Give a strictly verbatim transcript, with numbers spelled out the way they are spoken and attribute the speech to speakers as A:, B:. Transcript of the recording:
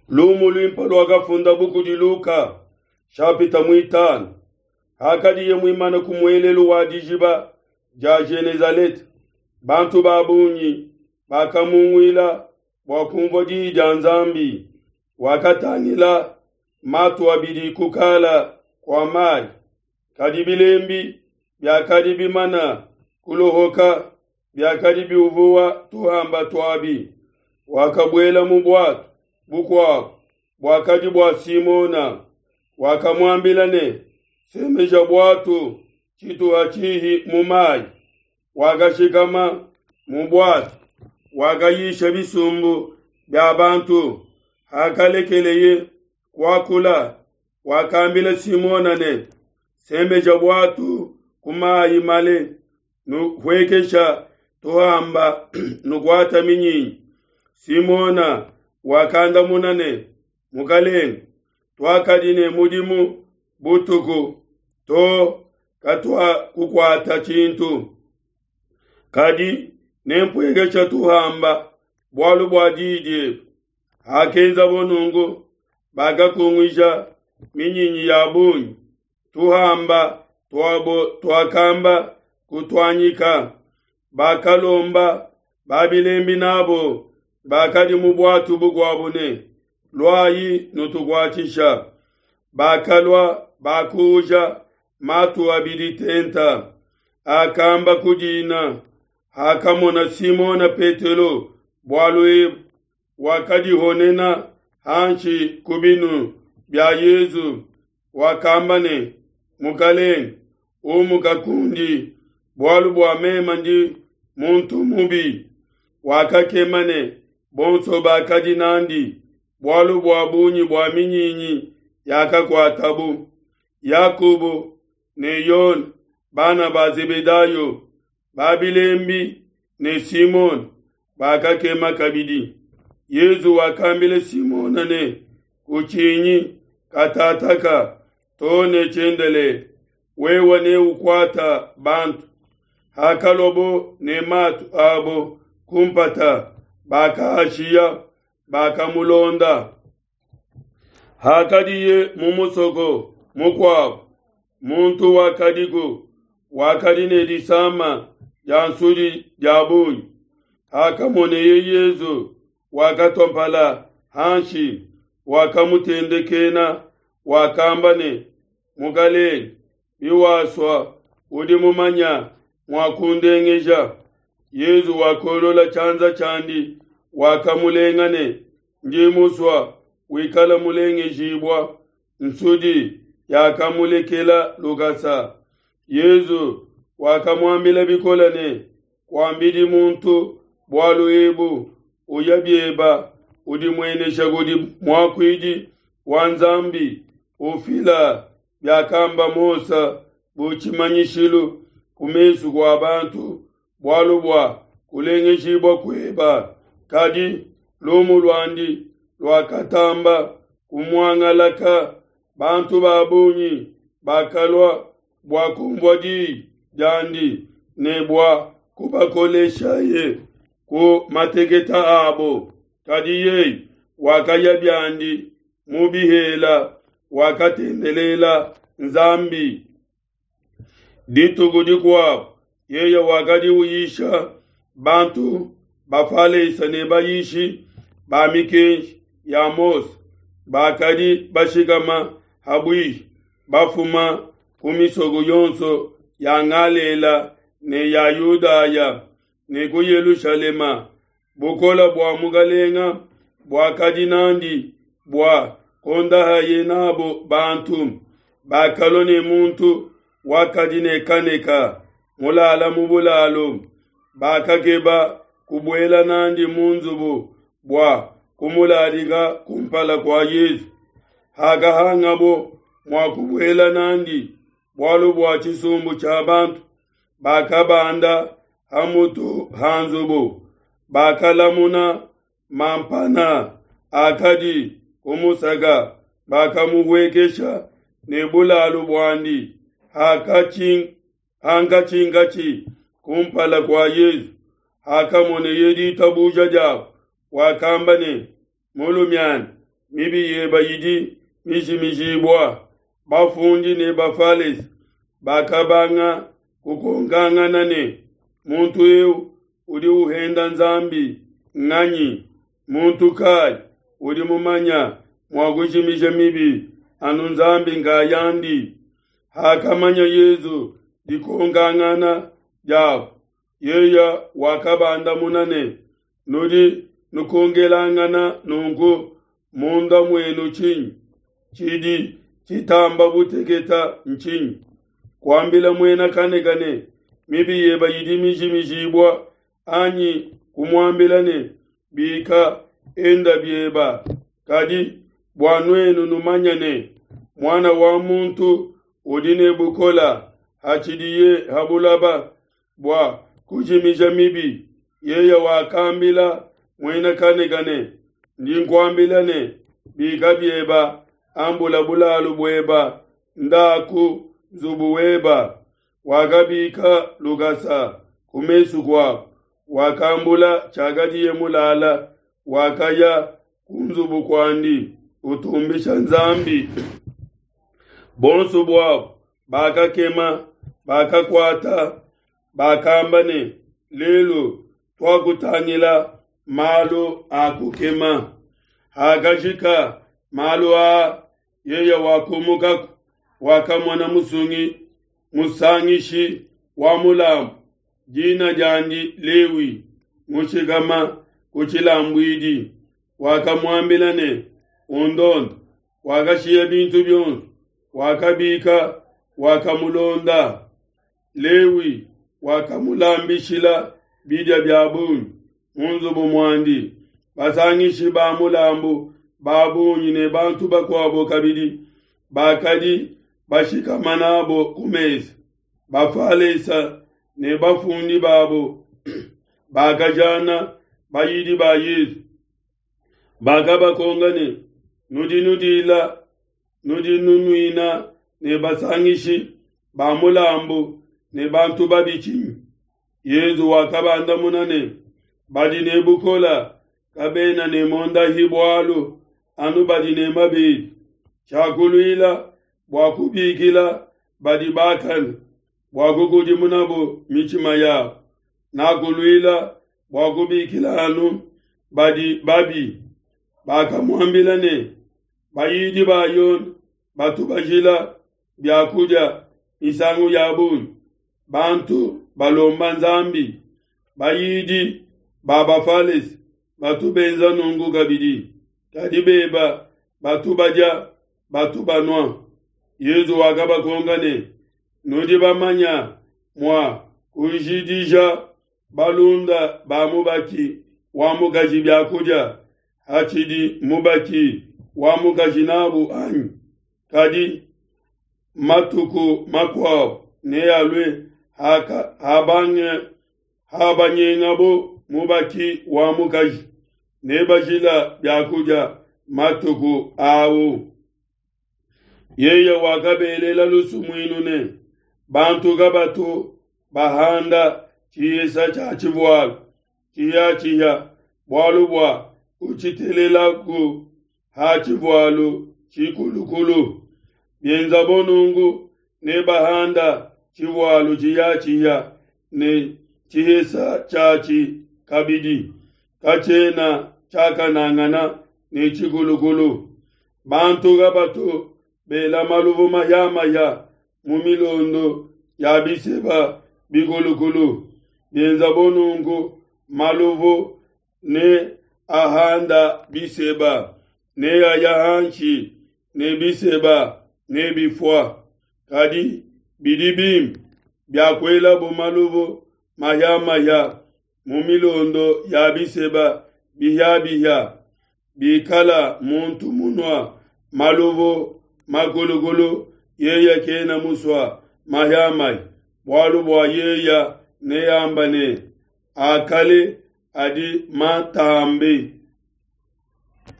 A: Lumu luimpe luakafundabu kudi Luka shapita muitanu. Hakadiye muimane ku muelelu wa dijiba dia Genezalete, bantu ba bungi bakamunguila bua kumvua diyi dia Nzambi. Wakatangila matu abidi kukala kua mayi, kadi bilembi biakadi bimana kulohoka biakadi biuvuwa tuhamba tuabi. Wakabuela mu buatu bukuabo buakadi bua Simona, wakamuambila ne, semeja buatu tshituha tshihi mu mayi. Wakashikama mu buatu, wakayisha bisumbu bia bantu. Hakalekeleye kuakula, wakambila Simona ne, semeja buatu ku mayi male, nuhuekesha tuhamba nukuata minyinyi. Simona wakandamuna ne, Mukalenge, tuakadi ne mudimu butuku to katuakukuata tshintu, kadi nempuekesha tuhamba bualu bua diyi diebe. Hakenzabo nunku, bakakunguija minyinyi ya bungi, tuhamba tuabo tuakamba kutuanyika. Bakalomba babilembi nabo bakadi mu buatu bukuabo ne, luayi nutukuatshisha. Bakalua bakuuja matu abidi tenta, akamba kudina. Hakamona Simona Petelo bualu ebu, wakadihonena hanshi ku binu bia Yesu, wakamba ne, Mukalenge, umuka kundi, bualu bua mema ndi muntu mubi. Wakakema ne bonso bakadi nandi, bualu bua bungi bua minyinyi yakakuatabu. Yakobo ne Yone, bana ba Zebedayo, babilembi ne Simona bakakema kabidi. Yesu wakambila Simona ne, kutshinyi, katataka to ne tshiendelele, wewe neukuata bantu. Hakalobo ne matu abo kumpata, bakaashiya, bakamulonda. Hakadiye mu musoko mukuabo, muntu wakadiku wakadi ne disama dia nsudi dia bungi. Hakamoneye Yesu, wakatua mpala hanshi, wakamutendekena, wakamba ne, Mukalenge, biwasua udi mumanya mua kundengeja. Yesu wakolola tshianza tshiandi, wakamulenga ne, ndi musua wikala mulengejibua. Nsudi yakamulekela lukasa. Yesu wakamuambila bikole ne, kuambidi muntu bualu ebu, uya bieba udimuenesha kudi muakuidi wa Nzambi, ufila biakamba Mose bu tshimanyishilu ku mesu kua bantu, bualu bua kulengejibua kueba. Kadi lumu luandi luakatamba kumuangalaka, bantu ba bungi bakalua bua kumvua diyi diandi ne bua kubakoleshaye ku mateketa abo. Kadi yeye wakaya biandi mu bihela, wakatendelela Nzambi. Dituku dikuabo yeye wakadi uyisha bantu bafalesa ne bayishi ba mikenji ya Mose bakadi bashikama habuihi, bafuma ku misoko yonso ya Galela ne ya Yudaya ne ku Yelushalema. Bukola bua Mukalenga buakadi nandi bua kondahaye nabo bantu. Bakalua ne muntu wakadi ne kaneka mulala mu bulalo, bakakeba kubuela nandi mu nzubu bua kumuladika kumpala kua Yesu. Hakahangabo mua kubuela nandi bualu bua tshisumbu tshia bantu, bakabanda ha mutu ha nzubu, bakalamuna mampana akadi kumusaka, bakamuhuekesha ne bulalu buandi hankatshinkatshi kumpala kua Yesu. Hakamoneye ditabuja diabo, wakamba ne, mulumiana, Mibi yeba idi mijimijibua. Bafundi ne Bafalese bakabanga kukonkangana ne, muntu eu udi uhenda Nzambi nganyi? Muntu kai udi mumanya mua kujimija mibi anu Nzambi nkayandi? Hakamanya Yesu dikonkangana diabo, yeye wakabandamuna ne, nudi nukonkelangana nunku munda muenu tshinyi? Tshidi tshitamba buteketa ntshinyi? Kuambila muena kaneke ne, mibi yeba idi mijimijibua, anyi kumuambila ne, bika, enda bieba. Kadi bua nuenu numanye ne, Muana wa muntu udi ne bukola hatshidiye ha bulaba bua kujimija mibi, yeye wakambila muena kaneke ne, ndi nkuambila ne, bika bieba, ambula bulalu bueba, ndaku nzubu weba. Wakabika lukasa ku mesu kuabo, wakambula tshiakadiye mulala, wakaya ku nzubu kuandi utumbisha Nzambi. Bonso buabo bakakema, bakakuata, bakamba ne, lelu tuakutangila malu a kukema. Hakajika malu aa, yeye wakumukaku, wakamona musungi musangishi wa mulambu, dina diandi Lewi, mushikama ku tshilambuidi. Wakamuambila ne, undonde. Wakashiya bintu bionso, wakabika, wakamulonda. Lewi wakamulambishila bidia bia bungi mu nzubu muandi. Basangishi ba mulambu ba bungi ne bantu bakuabo kabidi bakadi bashikama nabo ku mesa. Bafalesa ne bafundi babo bakajana bayidi ba Yesu, bakabakonga ne, nudi nudila, nudi nunuina ne basangishi ba mulambu ne bantu babi tshinyi? Yesu wakabandamuna ne, badi ne bukola kabena ne mondahi bualu, anu badi ne mabedi. Tshiakuluila bua kubikila badi bakane, bua kukudimunabo mitshima yabo. Nakuluila bua kubikila anu badi babi. Bakamuambila ne, bayidi ba Yone batu bajila biakudia misangu ya bungi, bantu balomba Nzambi. Bayidi ba Bafalese batu benza nunku kabidi, kadi beba batu badia, batu banua. Yesu wakabakonka ne, nudi bamanya mua kujidija balunda ba mubaki wa mukaji biakudia hatshidi mubaki wa mukaji nabu anyi? Kadi matuku makuabo nealue haka habange habanyengabo mubaki wa mukaji, nebajila biakudia matuku awu. Yeye wakabelela lusumuinu ne, bantu kabatu bahanda tshihesa tshia tshivualu tshiya-tshiya, bualu bua kutshitelelaku ha tshivualu tshikulukulu. Bienzabo nunku, nebahanda tshivualu tshiya-tshiya ne tshihesa tshiatshi kabidi, katshiena tshiakanangana ne tshikulukulu. Bantu kabatu bela maluvu mahia-mahia mu milondo ya biseba bikulukulu. Bienzabo nunku, maluvu ne ahanda biseba, ne aya hanshi ne biseba ne bifua. Kadi bidi bimpe biakuelabo maluvu mahia-mahia mu milondo ya biseba bihia-bihia. Bikala muntu munua maluvu makulukulu, yeye kena musua mahia-mahia, bualu bua yeye neamba ne, akale adi matambe.